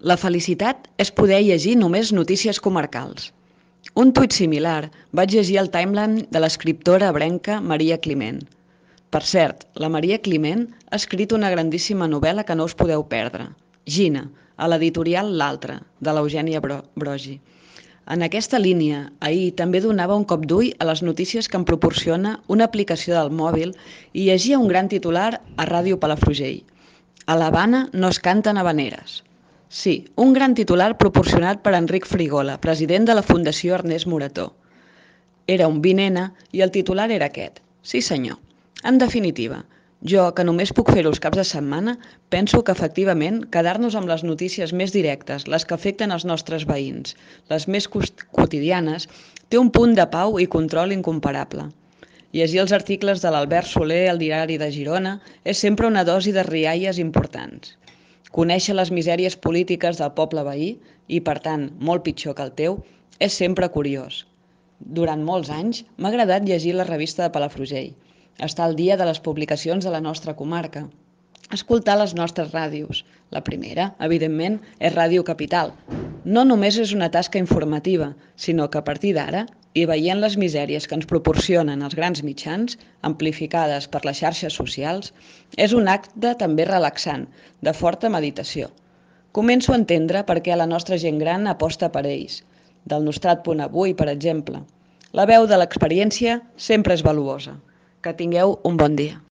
La felicitat és poder llegir només notícies comarcals. Un tuit similar vaig llegir al timeline de l'escriptora ebrenca Maria Climent. Per cert, la Maria Climent ha escrit una grandíssima novel·la que no us podeu perdre, Gina, a l'editorial L'Altre, de l'Eugènia Brogi. En aquesta línia, ahir també donava un cop d'ull a les notícies que em proporciona una aplicació del mòbil i llegia un gran titular a Ràdio Palafrugell. A l'Havana no es canten havaneres. Sí, un gran titular proporcionat per Enric Frigola, president de la Fundació Ernest Morató. Era un 20N i el titular era aquest. Sí senyor. En definitiva, jo, que només puc fer-ho els caps de setmana, penso que efectivament quedar-nos amb les notícies més directes, les que afecten els nostres veïns, les més quotidianes, té un punt de pau i control incomparable. Llegir els articles de l'Albert Soler al Diari de Girona és sempre una dosi de rialles importants. Conèixer les misèries polítiques del poble veí, i per tant molt pitjor que el teu, és sempre curiós. Durant molts anys m'ha agradat llegir la revista de Palafrugell, estar al dia de les publicacions de la nostra comarca, escoltar les nostres ràdios. La primera, evidentment, és Ràdio Capital. No només és una tasca informativa, sinó que a partir d'ara, i veient les misèries que ens proporcionen els grans mitjans, amplificades per les xarxes socials, és un acte també relaxant, de forta meditació. Començo a entendre per què la nostra gent gran aposta per ells. Del Nostrat Punt Avui, per exemple. La veu de l'experiència sempre és valuosa. Que tingueu un bon dia.